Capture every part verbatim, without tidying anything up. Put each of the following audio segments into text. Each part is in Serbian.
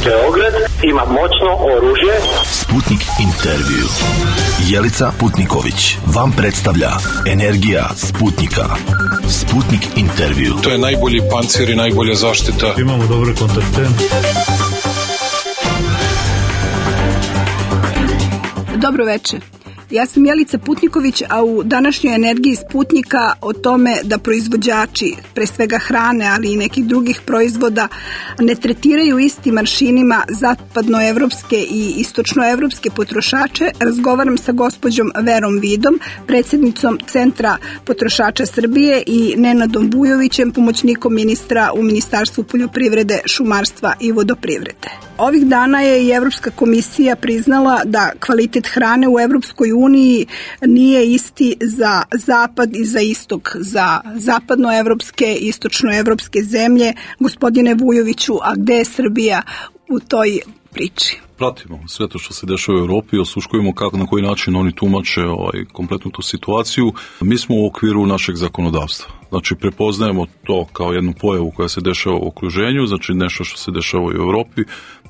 Beograd ima moćno oružje. Sputnik intervju. Jelica Putniković vam predstavlja Energija Sputnika. Sputnik intervju. To je najbolji pancir i najbolja zaštita. Imamo dobre kontakte. Dobro večer. Ja sam Jelica Putniković, a u današnjoj Energiji Sputnika o tome da proizvođači, pre svega hrane, ali i nekih drugih proizvoda, ne tretiraju istim aršinima zapadnoevropske i istočnoevropske potrošače, razgovaram sa gospođom Verom Vidom, predsjednicom Centra potrošača Srbije, i Nenadom Vujovićem, pomoćnikom ministra u Ministarstvu poljoprivrede, šumarstva i vodoprivrede. Ovih dana je i Evropska komisija priznala da kvalitet hrane u Evropskoj uniji nije isti za zapad i za istok, za zapadnoevropske i istočnoevropske zemlje. Gospodine Vujoviću, a gde je Srbija u toj priči? Pratimo sve to što se dešava u Europi, osluškujemo kako, na koji način oni tumače ovaj, kompletnu tu situaciju. Mi smo u okviru našeg zakonodavstva. Znači, prepoznajemo to kao jednu pojavu koja se dešava u okruženju, znači nešto što se dešava u Europi,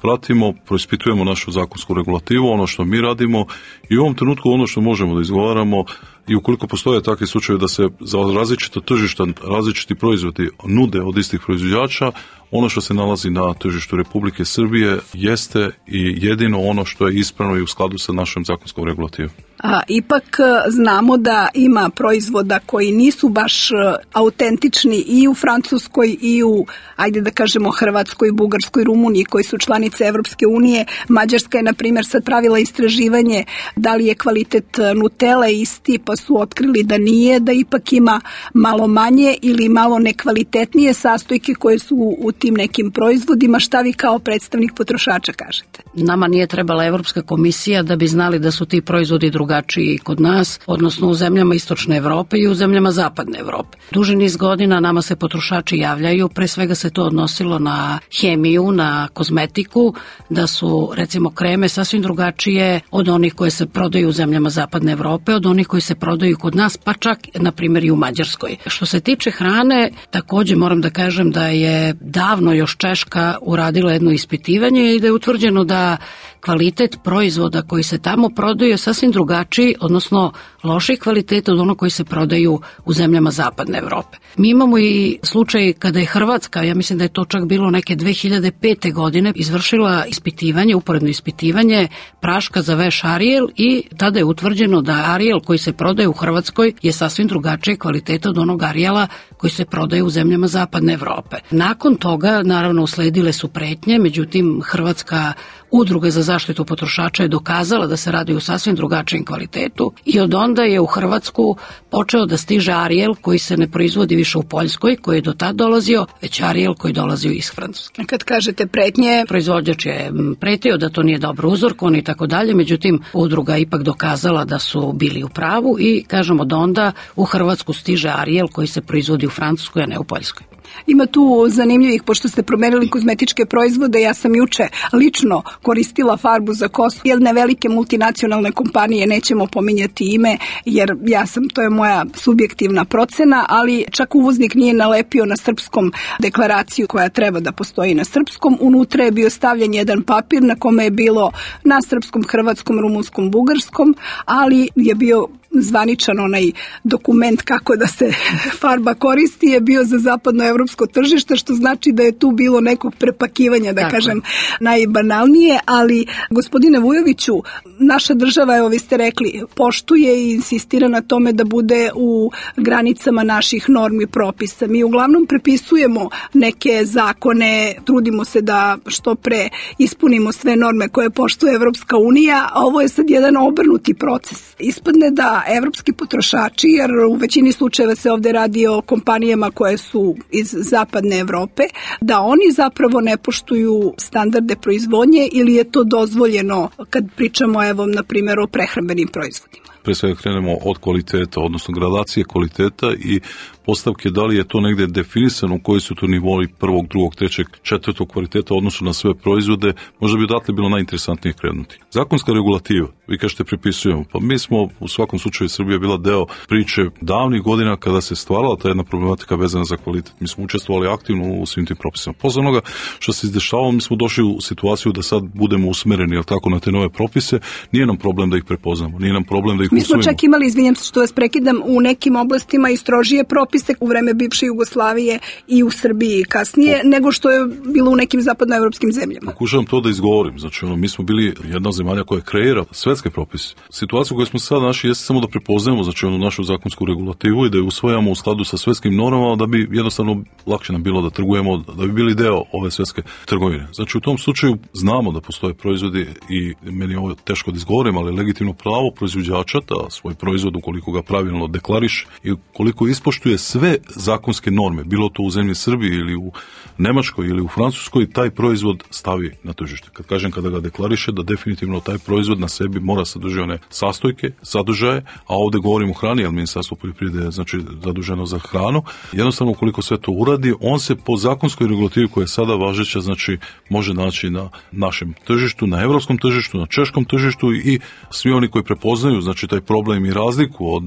pratimo, proispitujemo našu zakonsku regulativu, ono što mi radimo, i u ovom trenutku ono što možemo da izgovaramo, i ukoliko postoje takvi slučajevi da se za različita tržišta, različiti proizvodi nude od istih proizvođača, ono što se nalazi na tržištu Republike Srbije jeste i jedino ono što je ispravno i u skladu sa našom zakonskom regulativom. A, ipak znamo da ima proizvoda koji nisu baš autentični i u Francuskoj i u, ajde da kažemo, Hrvatskoj, Bugarskoj, Rumuniji, koji su članice Evropske unije. Mađarska je, na primjer, sad pravila istraživanje da li je kvalitet Nutele isti, pa su otkrili da nije, da ipak ima malo manje ili malo nekvalitetnije sastojke koje su u tim nekim proizvodima. Šta vi kao predstavnik potrošača kažete? Nama nije trebala Evropska komisija da bi znali da su ti proizvodi drugačiji kod nas, odnosno u zemljama istočne Evrope i u zemljama zapadne Evrope. Duži niz godina nama se potrošači javljaju, pre svega se to odnosilo na hemiju, na kozmetiku, da su recimo kreme sasvim drugačije od onih koje se prodaju u zemljama zapadne Evrope, od onih koji se prodaju kod nas, pa čak na primjer i u Mađarskoj. Što se tiče hrane, takođe moram da kažem da je davno još Češka uradila jedno ispitivanje i da je utvrđeno da kvalitet proizvoda koji se tamo prodaju je sasvim drugačiji, odnosno loših kvaliteta od ono koji se prodaju u zemljama zapadne Evrope. Mi imamo i slučaj kada je Hrvatska, ja mislim da je to čak bilo neke dve hiljade pete. godine, izvršila ispitivanje, uporedno ispitivanje praška za veš Ariel, i tada je utvrđeno da Ariel koji se prodaje u Hrvatskoj je sasvim drugačije kvaliteta od onog Ariela koji se prodaje u zemljama zapadne Evrope. Nakon toga, naravno, usledile su pretnje, međutim, Hrvatska Udruga za zaštitu potrošača je dokazala da se radi u sasvim drugačijem kvalitetu, i od onda je u Hrvatsku počeo da stiže Ariel koji se ne proizvodi više u Poljskoj, koji je do tad dolazio, već Ariel koji dolazi iz Francuske. Kad kažete pretnje, proizvođač je pretio da to nije dobro uzorkovano i tako dalje, međutim, udruga je ipak dokazala da su bili u pravu, i kažemo da onda u Hrvatsku stiže Ariel koji se proizvodi u Francuskoj, a ne u Poljskoj. Ima tu zanimljivih, pošto ste promenili kozmetičke proizvode. Ja sam juče lično koristila farbu za kosu jedne velike multinacionalne kompanije, nećemo pominjati ime, jer ja sam, to je moja subjektivna procena, ali čak uvoznik nije nalepio na srpskom deklaraciju koja treba da postoji na srpskom. Unutra je bio stavljen jedan papir na kome je bilo na srpskom, hrvatskom, rumunskom, bugarskom, ali je bio zvaničan onaj dokument kako da se farba koristi, je bio za zapadnoevropsko tržište, što znači da je tu bilo nekog prepakivanja, da Tako. kažem najbanalnije, ali gospodine Vujoviću, naša država, evo vi ste rekli, poštuje i insistira na tome da bude u granicama naših normi propisa. Mi uglavnom prepisujemo neke zakone, trudimo se da što pre ispunimo sve norme koje poštuje Evropska unija, a ovo je sad jedan obrnuti proces. Ispadne da evropski potrošači, jer u većini slučajeva se ovde radi o kompanijama koje su iz zapadne Evrope, da oni zapravo ne poštuju standarde proizvodnje, ili je to dozvoljeno kad pričamo, evo, na primjer, o prehrambenim proizvodima? pre svega krenemo od kvaliteta, odnosno gradacije kvaliteta i postavke da li je to negdje definisano koji su to nivoi prvog, drugog, trećeg, četvrtog kvaliteta u odnosu na sve proizvode, možda bi odatle bilo najinteresantnije krenuti. Zakonska regulativa, vi kažete prepisujemo, pa mi smo u svakom slučaju Srbija bila deo priče davnih godina kada se stvarala ta jedna problematika vezana za kvalitet. Mi smo učestvovali aktivno u svim tim propisima. Posle onoga što se izdešavalo, mi smo došli u situaciju da sad budemo usmereni, jel tako, na te nove propise, nije nam problem da ih prepoznamo, nije nam problem da ih usvojimo. Mi smo čak imali, izvinjam se što vas prekidam, u nekim oblastima i strožije propise u vreme bivše Jugoslavije i u Srbiji kasnije, o, nego što je bilo u nekim zapadnoevropskim zemljama. Pokušavam to da izgovorim. Znači, ono, mi smo bili jedna od zemalja koja kreira svetske propise. Situacija koju smo sad našli jeste samo da prepoznajemo, znači, onu našu zakonsku regulativu i da je usvojamo u skladu sa svetskim normama, da bi jednostavno lakše nam bilo da trgujemo, da bi bili deo ove svetske trgovine. Znači, u tom slučaju znamo da postoje proizvodi i meni je ovo teško da izgovorim, ali legitimno pravo proizvođača da svoj proizvod, ukoliko ga pravilno deklariše i koliko ispoštuje sve zakonske norme, bilo to u zemlji Srbiji ili u Nemačkoj ili u Francuskoj, taj proizvod stavi na tržište. Kad kažem kada ga deklariše, da definitivno taj proizvod na sebi mora sadržati one sastojke, sadržaje, a ovde govorimo o hrani, jer Ministarstvo poljoprivrede je znači zaduženo za hranu. Jednostavno, ukoliko sve to uradi, on se po zakonskoj regulativi koja je sada važeća, znači može naći na našem tržištu, na evropskom tržištu, na češkom tržištu i svi oni koji prepoznaju znači taj problem i razliku od,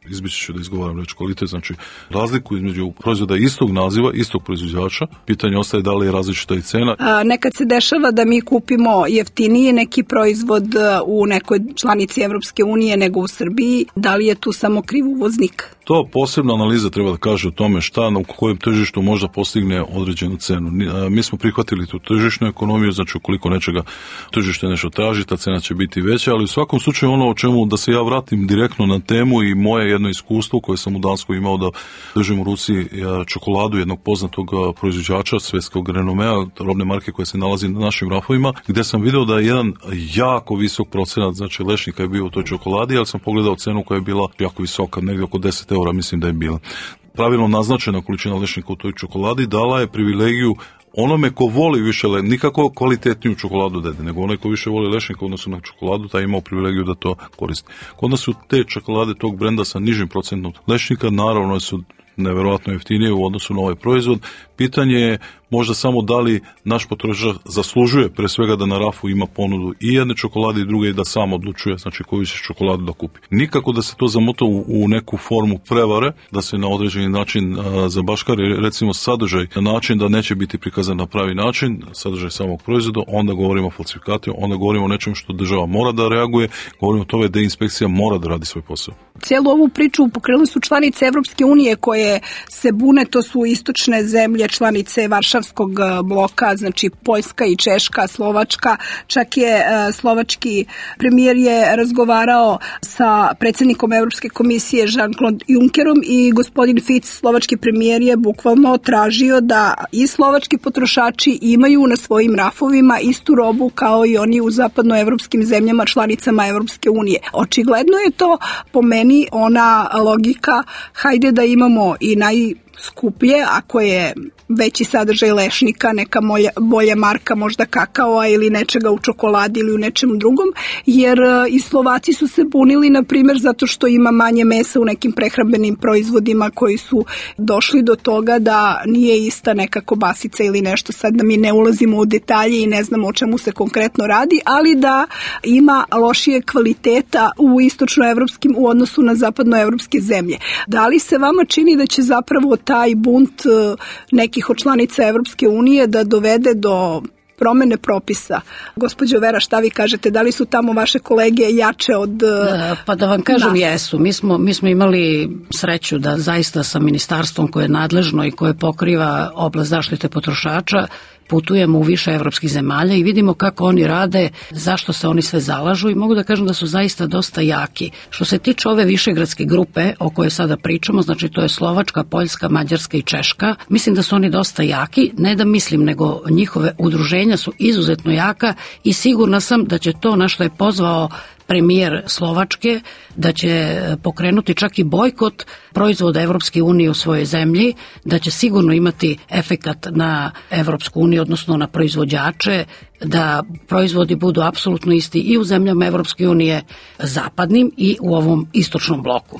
izbići ću da izgovaram reč kvalitet, znači razliku između proizvoda istog naziva, istog proizvođača. Pitanje ostaje da li je različita i cena. A, nekad se dešava da mi kupimo jeftinije neki proizvod u nekoj članici Evropske unije nego u Srbiji. Da li je tu samo kriv uvoznik? To posebna analiza treba da kaže o tome šta na kojem tržištu možda postigne određenu cenu. Mi smo prihvatili tu tržišnu ekonomiju, znači ukoliko nečega tržište nešto traži, ta cena će biti veća, ali u svakom slučaju ono o čemu da se ja vratim direktno na temu i moje jedno iskustvo koje sam u Danskoj imao da držim u ruci čokoladu jednog poznatog proizvođača svetskog renomea, robne marke koja se nalazi na našim rafovima, gde sam video da je jedan jako visok procenat, znači lešnika je bio u toj čokoladi, ali sam pogledao cenu koja je bila jako visoka, negdje oko deset eura mislim da je bila. Pravilno naznačena količina lešnika u toj čokoladi dala je privilegiju onome ko voli više, nikako kvalitetniju čokoladu dede, nego onaj ko više voli lešnika odnosno na čokoladu, taj imao privilegiju da to koristi. Kod nas su te čokolade tog brenda sa nižim procentom lešnika, naravno su neverovatno jeftinije u odnosu na ovaj proizvod. Pitanje je možda samo da li naš potrošač zaslužuje pre svega da na rafu ima ponudu i jedne čokolade i druge i da sam odlučuje znači koju će čokoladu da kupi. Nikako da se to zamota u, u neku formu prevare, da se na određeni način a, zabaškari recimo sadržaj na način da neće biti prikazan na pravi način, sadržaj samog proizvoda, onda govorimo o falsifikatu, onda govorimo o nečemu što država mora da reaguje, govorimo o tome da inspekcija mora da radi svoj posao. Cijelu ovu priču pokrenuli su članice Evropske unije koje se bune, to su istočne zemlje, članice Varšavskog bloka, znači Poljska i Češka, Slovačka. Čak je slovački premijer je razgovarao sa predsjednikom Evropske komisije Jean-Claude Junckerom i gospodin Fico, slovački premijer, je bukvalno tražio da i slovački potrošači imaju na svojim rafovima istu robu kao i oni u zapadnoevropskim zemljama članicama Evropske unije. Očigledno je to po meni ona logika, hajde da imamo i najskuplje, ako je veći sadržaj lešnika, neka molja, bolja marka, možda kakaoa ili nečega u čokoladi ili u nečem drugom, jer i Slovaci su se bunili, na primjer, zato što ima manje mesa u nekim prehrambenim proizvodima koji su došli do toga da nije ista neka kobasica ili nešto, sad da mi ne ulazimo u detalje i ne znamo o čemu se konkretno radi, ali da ima lošije kvaliteta u istočnoevropskim u odnosu na zapadnoevropske zemlje. Da li se vama čini da će zapravo taj bunt nekih od članica Evropske unije da dovede do promene propisa? Gospođo Vera, šta vi kažete? Da li su tamo vaše kolege jače od da, pa da vam kažem, nas? Jesu. Mi smo, mi smo imali sreću da zaista sa ministarstvom koje je nadležno i koje pokriva oblast zaštite potrošača putujemo u više evropskih zemalja i vidimo kako oni rade, zašto se oni sve zalažu i mogu da kažem da su zaista dosta jaki. Što se tiče ove višegradske grupe o kojoj sada pričamo, znači to je Slovačka, Poljska, Mađarska i Češka, mislim da su oni dosta jaki, ne da mislim, nego njihove udruženja su izuzetno jaka i sigurna sam da će to na što je pozvao premijer Slovačke da će pokrenuti čak i bojkot proizvoda Evropske unije u svojoj zemlji, da će sigurno imati efekat na Evropsku uniju, odnosno na proizvođače, da proizvodi budu apsolutno isti i u zemljama Evropske unije zapadnim i u ovom istočnom bloku.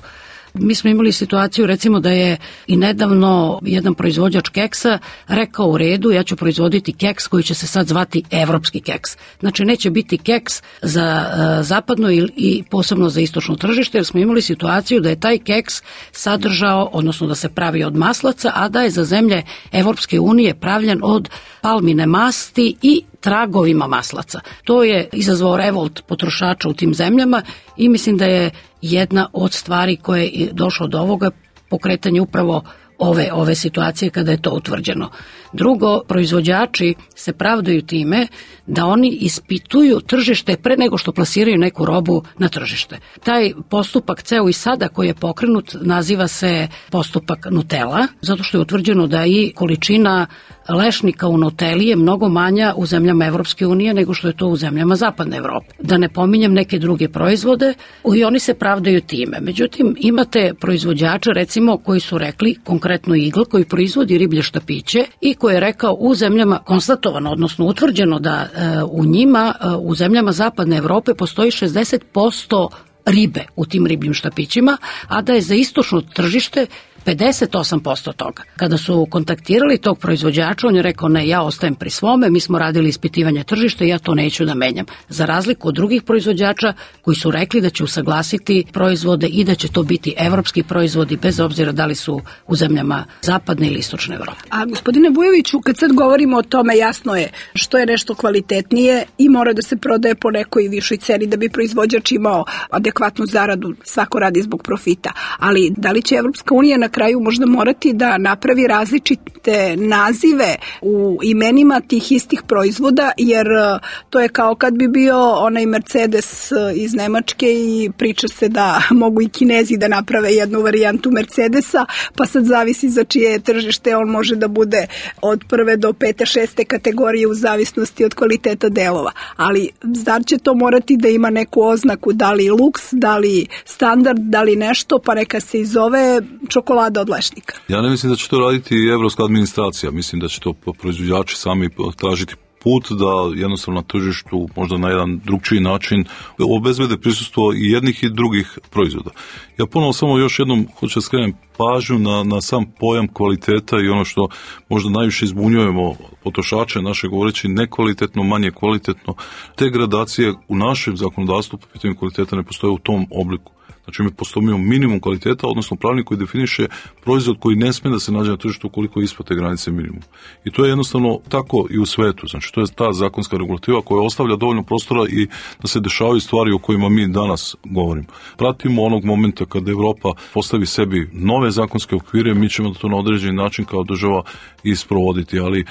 Mi smo imali situaciju recimo da je i nedavno jedan proizvođač keksa rekao u redu, ja ću proizvoditi keks koji će se sad zvati evropski keks. Znači neće biti keks za uh, zapadno i, i posebno za istočno tržište, jer smo imali situaciju da je taj keks sadržao, odnosno da se pravi od maslaca, a da je za zemlje Evropske unije pravljen od palmine masti i tragovima maslaca. To je izazvao revolt potrošača u tim zemljama i mislim da je jedna od stvari koje je došlo do ovoga pokretanje upravo ove, ove situacije kada je to utvrđeno. Drugo, proizvođači se pravdaju time da oni ispituju tržište pre nego što plasiraju neku robu na tržište. Taj postupak ceo i sada koji je pokrenut naziva se postupak Nutella, zato što je utvrđeno da i količina lešnika u Nutelli je mnogo manja u zemljama Evropske unije nego što je to u zemljama Zapadne Evrope. Da ne pominjem neke druge proizvode i oni se pravdaju time. Međutim, imate proizvođače recimo koji su rekli, konkretno Igl koji proizvodi riblje štapiće i koji je rekao u zemljama konstatovano, odnosno utvrđeno da e, u njima, e, u zemljama Zapadne Evrope postoji šezdeset posto ribe u tim ribljim štapićima, a da je za istočno tržište pedeset osam posto toga. Kada su kontaktirali tog proizvođača, on je rekao ne, ja ostajem pri svome, mi smo radili ispitivanje tržišta i ja to neću da menjam. Za razliku od drugih proizvođača koji su rekli da će usaglasiti proizvode i da će to biti evropski proizvodi bez obzira da li su u zemljama zapadne ili istočne Evrope. A gospodine Vujoviću, kad sad govorimo o tome, jasno je što je nešto kvalitetnije i mora da se prodaje po nekoj višoj ceni da bi proizvođač imao adekvatnu zaradu, svako radi zbog profita. Ali da li će Evropska unija na kraju možda morati da napravi različite nazive u imenima tih istih proizvoda, jer to je kao kad bi bio onaj Mercedes iz Nemačke i priča se da mogu i Kinezi da naprave jednu varijantu Mercedesa, pa sad zavisi za čije tržište on može da bude od prve do pete, šeste kategorije u zavisnosti od kvaliteta delova. Ali zar će to morati da ima neku oznaku, da li luks, da li standard, da li nešto, pa neka se i zove čokolada od lešnika? Ja ne mislim da će to raditi i evropska administracija. Mislim da će to proizvođači sami tražiti put da jednostavno na tržištu možda na jedan drugčiji način obezbede prisustvo i jednih i drugih proizvoda. Ja ponovo samo još jednom hoću da skrenem pažnju na, na sam pojam kvaliteta i ono što možda najviše izbunjujemo potrošače naše govoreći nekvalitetno, manje kvalitetno. Te gradacije u našem zakonodavstvu po pitanju kvaliteta ne postoje u tom obliku. Znači mi postavimo minimum kvaliteta, odnosno pravilnik koji definiše proizvod koji ne smije da se nađe na tržištu ukoliko je ispod te granice minimum. I to je jednostavno tako i u svetu. Znači to je ta zakonska regulativa koja ostavlja dovoljno prostora i da se dešavaju stvari o kojima mi danas govorimo. Pratimo onog momenta kada Evropa postavi sebi nove zakonske okvire, mi ćemo to na određeni način kao država isprovoditi, ali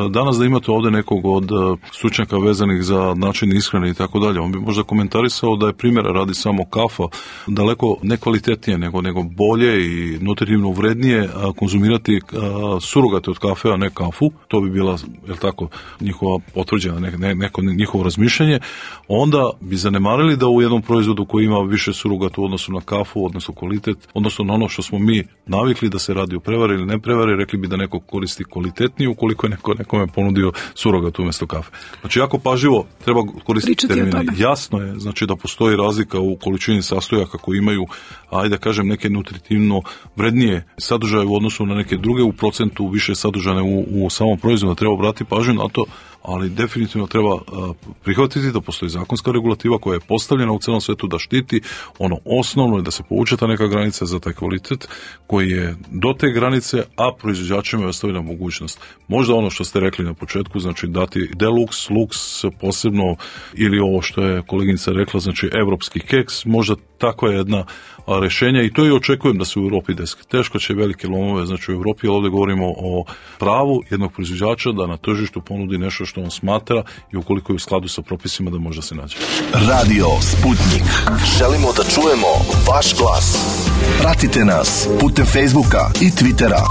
danas da imate ovde nekog od stručnjaka vezanih za način ishrane i tako dalje, on bi možda komentarisao da je primjera radi samo kafa daleko nekvalitetnije nego, nego bolje i nutritivno vrednije konzumirati surogate od kafe, a ne kafu. To bi bila, je tako, njihova potvrđena ne, ne, neko njihovo razmišljanje. Onda bi zanemarili da u jednom proizvodu koji ima više surogata u odnosu na kafu, odnosno kvalitet, odnosno na ono što smo mi navikli da se radi o prevari ili ne prevari, rekli bi da neko koristi kvalitetnije ukoliko je neko nekome ponudio surogat umjesto kafe. Znači, jako pažljivo treba koristiti termine. Jasno je, znači, da postoji razlika u količini sastojaka koji imaju, ajde kažem, neke nutritivno vrednije sadržaje u odnosu na neke druge, u procentu više sadržane u, u samom proizvodu. Treba obratiti pažnju na to, ali definitivno treba prihvatiti da postoji zakonska regulativa koja je postavljena u celom svetu da štiti ono osnovno i da se povuče ta neka granica za taj kvalitet koji je do te granice, a proizvođačima je ostavljena mogućnost. Možda ono što ste rekli na početku, znači dati deluxe, lux posebno, ili ovo što je koleginica rekla, znači evropski keks, možda takva je jedna rešenja i to i očekujem da se u Evropi desi. Teško će velike lomove, znači u Evropi, ali ovdje govorimo o pravu jednog proizvođača da na tržištu ponudi nešto što on smatra i ukoliko je u skladu sa propisima da može da se nađe. Radio Sputnik. Želimo da čujemo vaš glas. Pratite nas putem Facebooka i Twittera.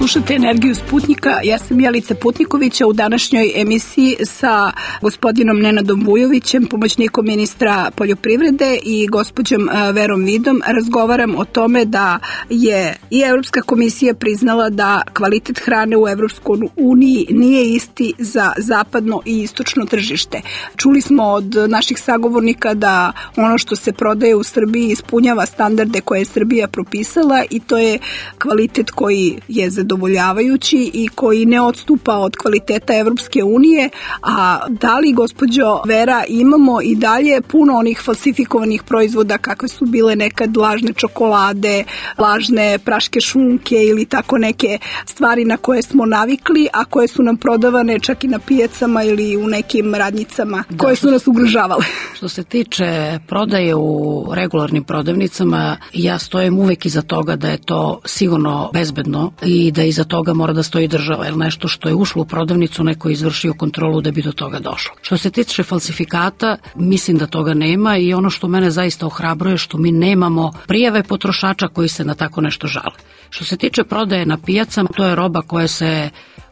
Slušate Energiju Sputnika, ja sam Jelica Putnikovića u današnjoj emisiji sa gospodinom Nenadom Vujovićem, pomoćnikom ministra poljoprivrede i gospođom Verom Vidom. Razgovaram o tome da je i Evropska komisija priznala da kvalitet hrane u Evropskoj uniji nije isti za zapadno i istočno tržište. Čuli smo od naših sagovornika da ono što se prodaje u Srbiji ispunjava standarde koje je Srbija propisala i to je kvalitet koji je zadovoljavajući i koji ne odstupa od kvaliteta Evropske unije. A da li, gospođo Vera, imamo i dalje puno onih falsifikovanih proizvoda kakve su bile nekad lažne čokolade, lažne praške šunke ili tako neke stvari na koje smo navikli, a koje su nam prodavane čak i na pijacama ili u nekim radnjicama da, koje su nas ugrožavale? Što se tiče prodaje u regularnim prodavnicama, ja stojim uvek iza toga da je to sigurno bezbedno i da iza toga mora da stoji država, jer nešto što je ušlo u prodavnicu neko je izvršio kontrolu da bi do toga došlo. Što se tiče falsifikata, mislim da toga nema i ono što mene zaista ohrabruje što mi nemamo prijave potrošača koji se na tako nešto žale. Što se tiče prodaje na pijacama, to je roba koja se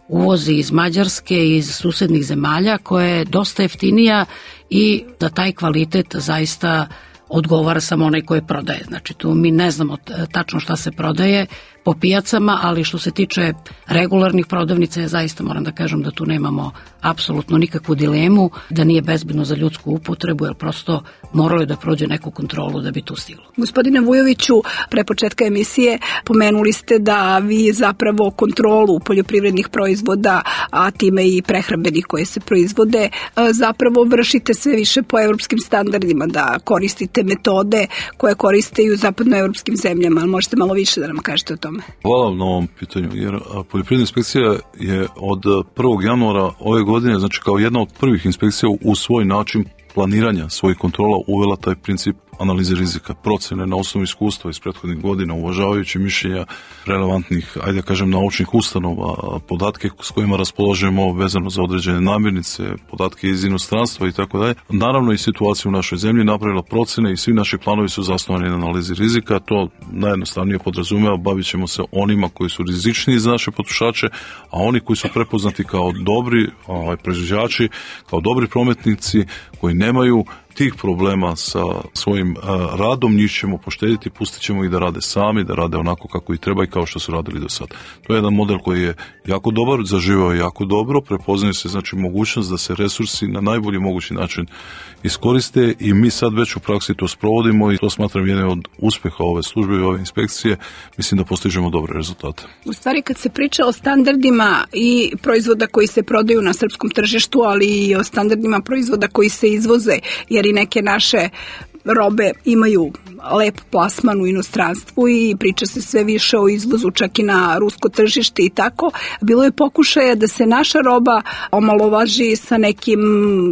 uvozi iz Mađarske i iz susednih zemalja, koja je dosta jeftinija i da taj kvalitet zaista odgovara samo onaj koji prodaje. Znači tu mi ne znamo tačno šta se prodaje po pijacama, ali što se tiče regularnih prodavnica, ja zaista moram da kažem da tu nemamo apsolutno nikakvu dilemu, da nije bezbedno za ljudsku upotrebu, jer prosto moralo je da prođe neku kontrolu da bi tu stiglo. Gospodine Vujoviću, pre početka emisije pomenuli ste da vi zapravo kontrolu poljoprivrednih proizvoda, a time i prehrambenih koje se proizvode, zapravo vršite sve više po evropskim standardima, da koristite metode koje koriste i u zapadnoevropskim zemljama. Možete malo više da nam kažete o tome? Hvala vam na ovom pitanju, jer poljoprivredna inspekcija je od prvog januara ove godine, znači kao jedna od prvih inspekcija u svoj način planiranja svojih kontrola uvela taj princip analize rizika, procene na osnovu iskustva iz prethodnih godina, uvažavajući mišljenja relevantnih, ajde da kažem, naučnih ustanova, podatke s kojima raspolažemo vezano za određene namirnice, podatke iz inostranstva i tako dalje. Naravno i situaciju u našoj zemlji napravila procene i svi naši planovi su zasnovani na analizi rizika. To najjednostavnije podrazumeva, bavit ćemo se onima koji su rizičniji za naše potrošače, a oni koji su prepoznati kao dobri ovaj, proizvođači, kao dobri prometnici koji nemaju tih problema sa svojim a, radom, njih ćemo poštediti, pustit ćemo ih da rade sami, da rade onako kako i treba i kao što su radili do sad. To je jedan model koji je jako dobar, zaživao je jako dobro, prepoznaje se znači mogućnost da se resursi na najbolji mogući način iskoriste i mi sad već u praksi to sprovodimo i to smatram jednim od uspeha ove službe i ove inspekcije. Mislim da postižemo dobre rezultate. U stvari kad se priča o standardima i proizvoda koji se prodaju na srpskom tržištu, ali i o standardima proizvoda koji se izvoze, jer i neke naše robe imaju lep plasman u inostranstvu i priča se sve više o izvozu čak i na rusko tržište i tako. Bilo je pokušaja da se naša roba omalovaži sa nekim,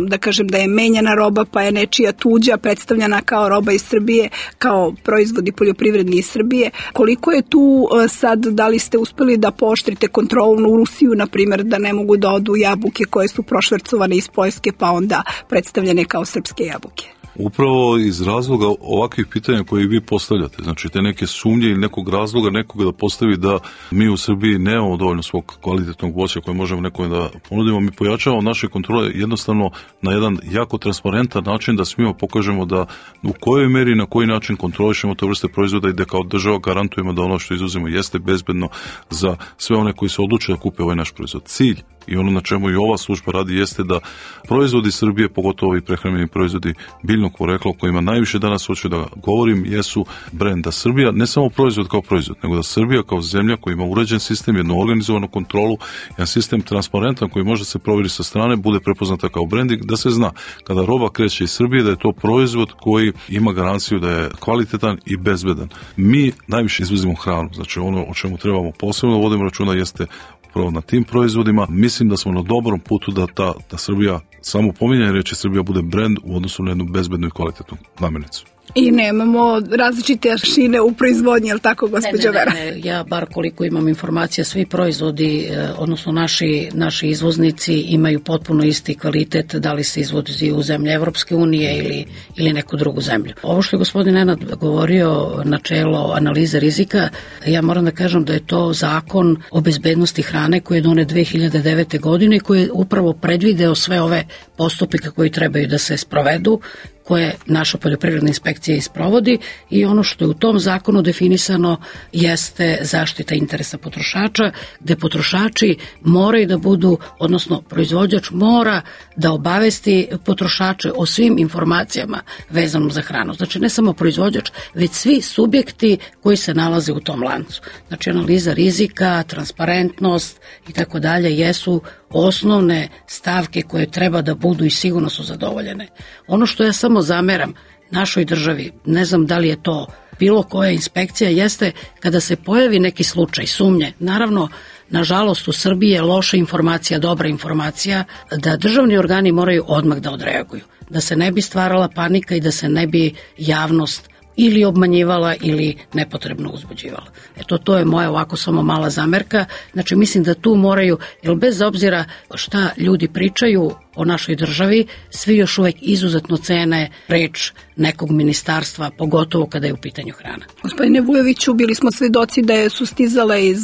da kažem da je menjana roba pa je nečija tuđa predstavljena kao roba iz Srbije, kao proizvodi poljoprivredni iz Srbije. Koliko je tu sad, da li ste uspeli da pooštrite kontrolu u Rusiju, na primjer, da ne mogu da odu jabuke koje su prošvercovane iz Poljske pa onda predstavljene kao srpske jabuke? Upravo iz razloga ovakvih pitanja koje vi postavljate, znači te neke sumnje ili nekog razloga nekoga da postavi da mi u Srbiji nemamo dovoljno svog kvalitetnog voća koje možemo nekome da ponudimo, mi pojačavamo naše kontrole jednostavno na jedan jako transparentan način da svima pokažemo da u kojoj meri i na koji način kontrolišemo te vrste proizvoda i da kao država garantujemo da ono što izuzimo jeste bezbedno za sve one koji se odluče da kupe ovaj naš proizvod. Cilj i ono na čemu i ova služba radi jeste da proizvodi Srbije, pogotovo i prehrambeni proizvodi biljnog porekla o kojima najviše danas hoću da govorim, jesu brend. Da Srbija, ne samo proizvod kao proizvod, nego da Srbija kao zemlja koja ima uređen sistem, jednu organizovanu kontrolu, jedan sistem transparentan koji može se provjeriti sa strane, bude prepoznata kao branding, da se zna kada roba kreće iz Srbije da je to proizvod koji ima garanciju da je kvalitetan i bezbedan. Mi najviše izvozimo hranu, znači ono o čemu trebamo posebno da vodimo računa jeste upravo na tim proizvodima. Mislim da smo na dobrom putu da ta da Srbija, samo pominjanje reči Srbija bude brend u odnosu na jednu bezbednu i kvalitetnu namirnicu. I nemamo različite aršine u proizvodnji, je li tako, gospođo Vera? Ne, ne, ne, ja bar koliko imam informacija, svi proizvodi, odnosno naši, naši izvoznici imaju potpuno isti kvalitet, da li se izvozi u zemlje Evropske unije ili, ili neku drugu zemlju. Ovo što je gospodin Nenad govorio, načelo analize rizika, ja moram da kažem da je to zakon o bezbednosti hrane koji je donet dve hiljade devete. godine i koji je upravo predvideo sve ove postupke koji trebaju da se sprovedu, koje naša poljoprivredna inspekcija isprovodi, i ono što je u tom zakonu definisano jeste zaštita interesa potrošača, gde potrošači moraju da budu, odnosno proizvođač mora da obavesti potrošače o svim informacijama vezanom za hranu. Znači ne samo proizvođač, već svi subjekti koji se nalaze u tom lancu. Znači analiza rizika, transparentnost i tako dalje jesu osnovne stavke koje treba da budu i sigurno su zadovoljene. Ono što ja samo zameram našoj državi, ne znam da li je to bilo koja inspekcija, jeste kada se pojavi neki slučaj sumnje. Naravno, nažalost u Srbiji je loša informacija, dobra informacija, da državni organi moraju odmah da odreaguju, da se ne bi stvarala panika i da se ne bi javnost ili obmanjivala ili nepotrebno uzbuđivala. Eto, to je moja ovako samo mala zamerka. Znači, mislim da tu moraju, jer bez obzira šta ljudi pričaju o našoj državi, svi još uvek izuzetno cene reč nekog ministarstva, pogotovo kada je u pitanju hrana. Gospodine Vujoviću, bili smo svedoci da su stizale iz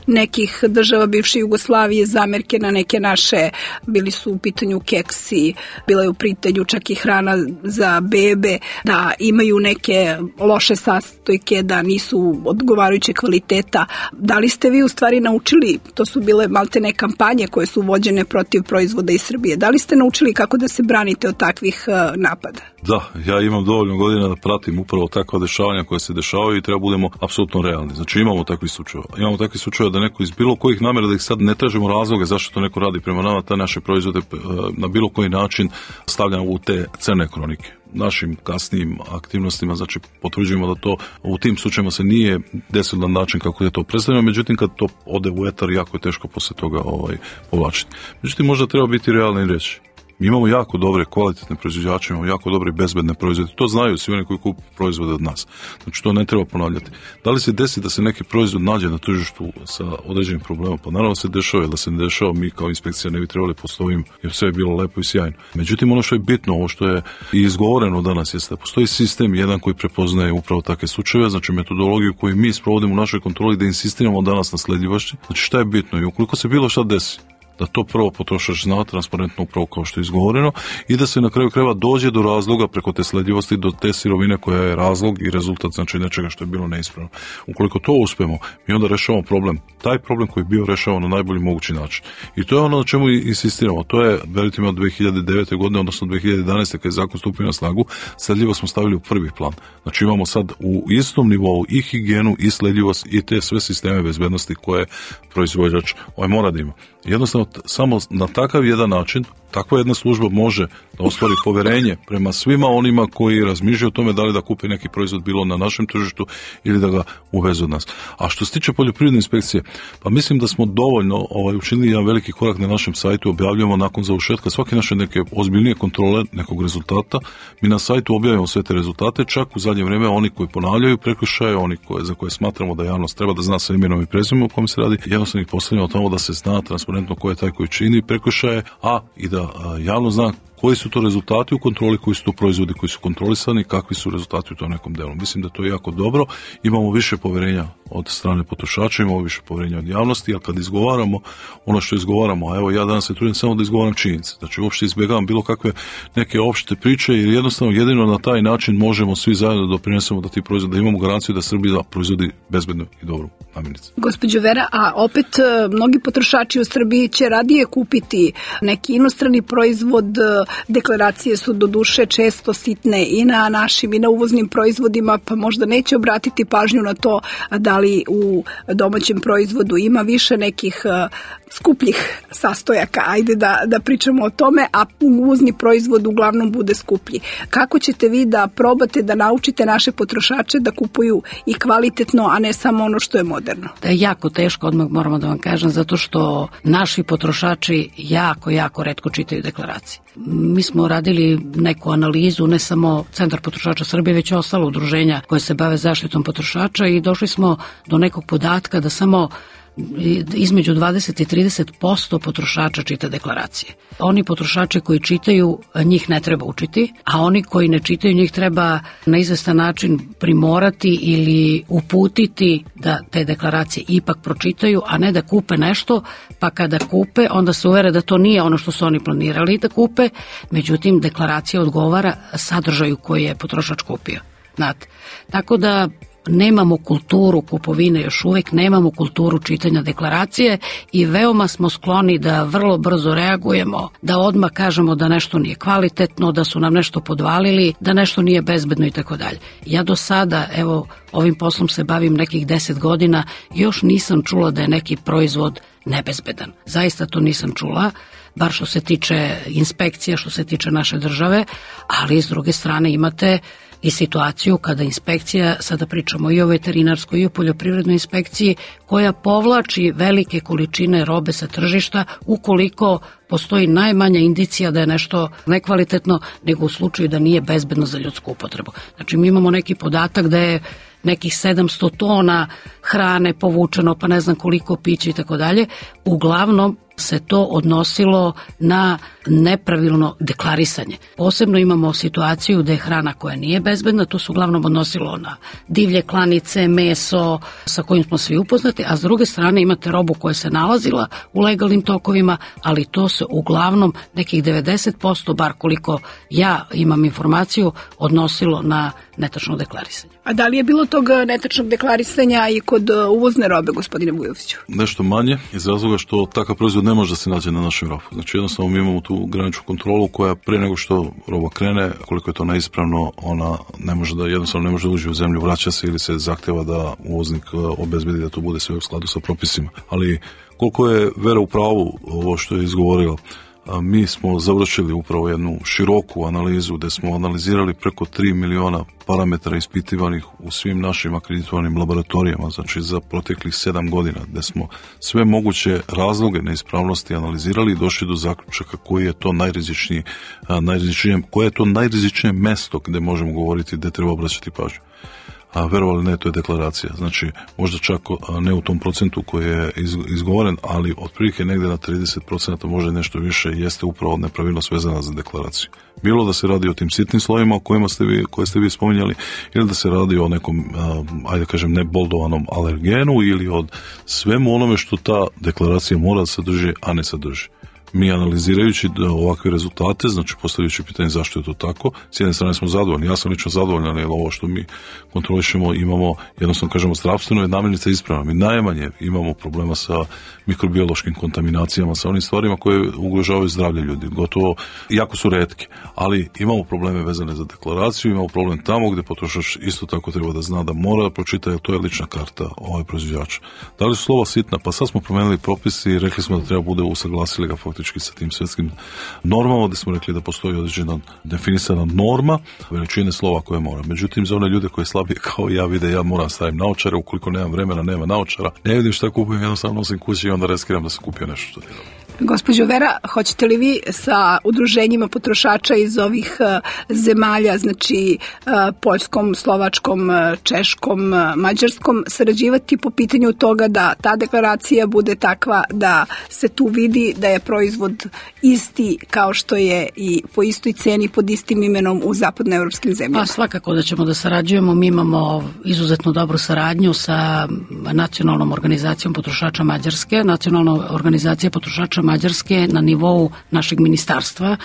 nekih država bivše Jugoslavije zamerke na neke naše, bili su u pitanju keksi, bila je u pitanju čak i hrana za bebe, da imaju neke loše sastojke, da nisu odgovarajuće kvaliteta. Da li ste vi u stvari naučili, to su bile maltene kampanje koje su vođene protiv proizvoda iz Srbije, da li ste naučili kako da se branite od takvih napada? Da, ja imam dovoljno godina da pratim upravo takva dešavanja koja se dešavaju i treba budemo apsolutno realni. Znači imamo takvih slučajeva. Imamo takvih slučajeva da neko iz bilo kojih namjera, da ih sad ne tražimo razloge zašto to neko radi prema nama, ta naše proizvode na bilo koji način stavljamo u te crne kronike. Našim kasnijim aktivnostima, znači potvrđujemo da to u tim slučajima se nije desilo na način kako je to predstavljeno, međutim kad to ode u etar, jako je teško posle toga ovaj, povlačiti. Međutim, možda treba biti realni i reći. Mi imamo jako dobre, kvalitetne proizvođače, imamo jako dobre bezbedne proizvode. To znaju svi oni koji kupuju proizvode od nas. Znači to ne treba ponavljati. Da li se desi da se neki proizvod nađe na tržištu sa određenim problemom? Pa naravno se dešava, da se ne dešava, mi kao inspekcija ne bi trebali poslovim, jer sve je bilo lepo i sjajno. Međutim, ono što je bitno, ovo što je i izgovoreno danas, jeste da postoji sistem jedan koji prepoznaje upravo takve slučajeve, znači metodologiju koju mi sprovodimo u našoj kontroli, da insistiramo danas na sledljivosti. Znači šta je bitno i ukoliko se bilo šta desi, da to prvo potrošač zna transparentno upravo kao što je izgovoreno i da se na kraju krajeva dođe do razloga preko te sledljivosti, do te sirovine koja je razlog i rezultat, znači nečega što je bilo neispravno. Ukoliko to uspemo, mi onda rešavamo problem. Taj problem koji je bio rešavan na najbolji mogući način. I to je ono na čemu insistiramo. To je, verujte mi, od dve hiljade devete. godine, odnosno dve hiljade jedanaeste. kad je zakon stupio na snagu, sledljivost smo stavili u prvi plan. Znači imamo sad u istom nivou i higijenu i sledljivost i te sve sisteme bezbednosti koje proizvođač ovaj mora da ima. Jednostavno, samo na takav jedan način, takva jedna služba može da ostvari poverenje prema svima onima koji razmišljaju o tome da li da kupe neki proizvod bilo na našem tržištu ili da ga uvezu od nas. A što se tiče poljoprivredne inspekcije, pa mislim da smo dovoljno ovaj, učinili jedan veliki korak na našem sajtu, objavljamo nakon završetka svake naše neke ozbiljnije kontrole nekog rezultata. Mi na sajtu objavljamo sve te rezultate, čak u zadnje vrijeme oni koji ponavljaju prekršaje, oni koje, za koje smatramo da javnost treba da zna sa imenom i prezimenom o kome se radi, jednostavno ih postavljamo tamo da se zna transparentno ko je taj koji čini prekršaje, a i da a, javno zna koji su to rezultati u kontroli, koji su to proizvodi koji su kontrolisani, kakvi su rezultati u tom nekom delu. Mislim da to je jako dobro. Imamo više poverenja od strane potrošača, imamo više poverenja od javnosti, a kad izgovaramo ono što izgovaramo, a evo ja danas se trudim samo da izgovaram činjenice. Znači uopšte izbjegavam bilo kakve neke opšte priče, jer jednostavno jedino na taj način možemo svi zajedno da doprinesemo da ti proizvodi, da imamo garanciju da Srbija proizvodi bezbedno i dobru namirnicu. Gospođo Vera, a opet mnogi potrošači u Srbiji će radije kupiti neki inostrani proizvod. Deklaracije su do duše često sitne i na našim i na uvoznim proizvodima, pa možda neće obratiti pažnju na to da li u domaćem proizvodu ima više nekih skupljih sastojaka, ajde da, da pričamo o tome, a uvozni proizvod uglavnom bude skuplji. Kako ćete vi da probate da naučite naše potrošače da kupuju i kvalitetno, a ne samo ono što je moderno? Da je jako teško, odmah moramo da vam kažem, zato što naši potrošači jako, jako retko čitaju deklaracije. Mi smo radili neku analizu, ne samo Centar potrošača Srbije, već ostalo udruženja koje se bave zaštitom potrošača i došli smo do nekog podatka da samo između dvadeset i trideset posto potrošača čita deklaracije. Oni potrošači koji čitaju, njih ne treba učiti, a oni koji ne čitaju, njih treba na izvestan način primorati ili uputiti da te deklaracije ipak pročitaju, a ne da kupe nešto, pa kada kupe, onda se uvere da to nije ono što su oni planirali da kupe, međutim deklaracija odgovara sadržaju koji je potrošač kupio. Znate, tako da nemamo kulturu kupovine, još uvek nemamo kulturu čitanja deklaracije i veoma smo skloni da vrlo brzo reagujemo, da odmah kažemo da nešto nije kvalitetno, da su nam nešto podvalili, da nešto nije bezbedno i tako dalje. Ja do sada, evo, ovim poslom se bavim nekih deset godina, još nisam čula da je neki proizvod nebezbedan. Zaista to nisam čula, bar što se tiče inspekcija, što se tiče naše države, ali s druge strane imate i situaciju kada inspekcija, sada pričamo i o veterinarskoj i o poljoprivrednoj inspekciji, koja povlači velike količine robe sa tržišta ukoliko postoji najmanja indicija da je nešto nekvalitetno, nego u slučaju da nije bezbedno za ljudsku upotrebu. Znači mi imamo neki podatak da je nekih sedamsto tona hrane povučeno, pa ne znam koliko pića i tako dalje. Uglavnom se to odnosilo na nepravilno deklarisanje. Posebno imamo situaciju da je hrana koja nije bezbedna, to se uglavnom odnosilo na divlje klanice, meso sa kojim smo svi upoznati, a s druge strane imate robu koja se nalazila u legalnim tokovima, ali to se uglavnom nekih devedeset posto, bar koliko ja imam informaciju, odnosilo na netačno deklarisanje. A da li je bilo tog netačnog deklarisanja i kod uvozne robe, gospodine Vujoviću? Nešto manje, iz razloga što takav proizvod ne može da se nađe na našem robu. Znači jednostavno mi imamo tu graničnu kontrolu koja pre nego što roba krene, koliko je to neispravno, ona ne može da, jednostavno ne može da uđe u zemlju, vraća se ili se zahteva da uvoznik obezbedi da to bude sve u skladu sa propisima. Ali koliko je Vera u pravu ovo što je izgovorila, mi smo završili upravo jednu široku analizu gde smo analizirali preko tri miliona parametara ispitivanih u svim našim akreditovanim laboratorijama, znači za proteklih sedam godina, gde smo sve moguće razloge neispravnosti analizirali i došli do zaključaka koji je to najrizičnije, najrizičnije, koje je to najrizičnije mesto gde možemo govoriti gde treba obraćati pažnju. A verovali ne, to je deklaracija. Znači, možda čak ne u tom procentu koji je izgovoren, ali otprilike negde na trideset procenta, možda nešto više, jeste upravo nepravilnost vezana za deklaraciju. Bilo da se radi o tim sitnim slovima o kojima ste vi, koje ste vi spominjali, ili da se radi o nekom, ajde kažem, neboldovanom alergenu ili od svemu onome što ta deklaracija mora da sadrži, a ne sadrži. Mi analizirajući ovakve rezultate, znači postavljajući pitanje zašto je to tako, s jedne strane smo zadovoljni, ja sam lično zadovoljan, jer ovo što mi kontrolišemo imamo, jednostavno kažemo, zdravstveno je namirnica ispravna. Mi najmanje imamo problema sa mikrobiološkim kontaminacijama, sa onim stvarima koje ugrožavaju zdravlje ljudi, gotovo, jako su retke, ali imamo probleme vezane za deklaraciju, imamo problem tamo gde potrošač isto tako treba da zna da mora da pročita, jer to je lična karta ovaj proizvođača. Da li su slova sitna? Pa sad smo promenili propisi i rekli smo da treba bude usaglasili ga faktički sa tim svetskim normama, gde smo rekli da postoji određena definisana norma veličine slova koje mora. Međutim, za one ljude koji slabije kao ja vide, ja moram stavim naočare, ukoliko nemam vremena, nema naočara, ne vidim šta kupujem, jednostavno nosim kući i onda reskiram da sam kupio nešto što ti je dobro. Gospođo Vera, hoćete li vi sa udruženjima potrošača iz ovih zemalja, znači Poljskom, Slovačkom, Češkom, Mađarskom, sarađivati po pitanju toga da ta deklaracija bude takva da se tu vidi da je proizvod isti kao što je i po istoj ceni pod istim imenom u zapadnoevropskim zemljama? Pa svakako da ćemo da sarađujemo. Mi imamo izuzetno dobru saradnju sa Nacionalnom organizacijom potrošača Mađarske. Nacionalna organizacija potrošača Mađarske na nivou našeg ministarstva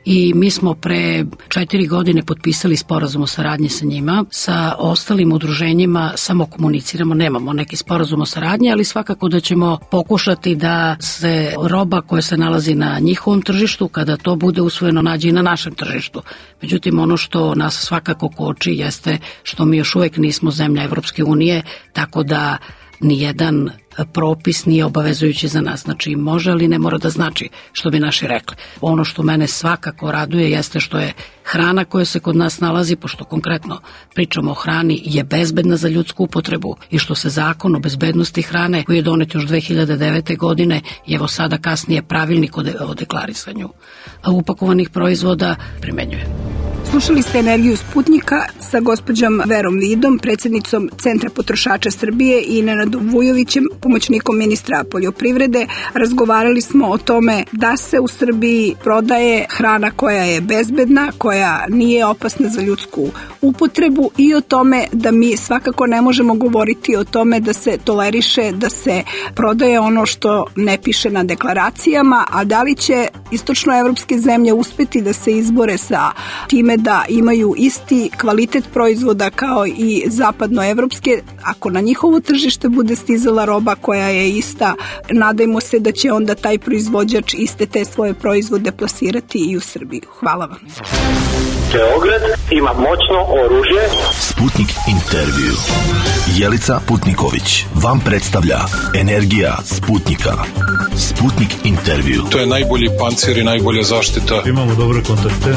i mi smo pre četiri godine potpisali sporazum o saradnji sa njima. Sa ostalim udruženjima samo komuniciramo, nemamo neki sporazum o saradnji, ali svakako da ćemo pokušati da se roba koja se nalazi na njihovom tržištu, kada to bude usvojeno, nađe i na našem tržištu. Međutim, ono što nas svakako koči jeste što mi još uvek nismo zemlja Evropske unije, tako da nijedan propis nije obavezujući za nas. Znači može, ali ne mora da znači, što bi naši rekli. Ono što mene svakako raduje jeste što je hrana koja se kod nas nalazi, pošto konkretno pričamo o hrani, je bezbedna za ljudsku upotrebu i što se zakon o bezbednosti hrane koji je donet još dve hiljade devete. godine i evo sada kasnije pravilnik o, de, o deklarisanju upakovanih proizvoda primenjuje. Slušali ste Energiju Sputnika sa gospođom Verom Vidom, predsjednicom Centra potrošača Srbije i Nenadom Vujovićem, pomoćnikom ministra poljoprivrede. Razgovarali smo o tome da se u Srbiji prodaje hrana koja je bezbedna, koja nije opasna za ljudsku upotrebu i o tome da mi svakako ne možemo govoriti o tome da se toleriše, da se prodaje ono što ne piše na deklaracijama, a da li će istočnoevropske zemlje uspeti da se izbore sa time da imaju isti kvalitet proizvoda kao i zapadnoevropske, ako na njihovo tržište bude stizala roba koja je ista, nadajmo se da će onda taj proizvođač iste te svoje proizvode plasirati i u Srbiju. Hvala vam. Beograd ima moćno oružje. Sputnik intervju. Jelica Putniković vam predstavlja Energija Sputnika. Sputnik intervju. To je najbolji pancir i najbolja zaštita. Imamo dobre kontakte.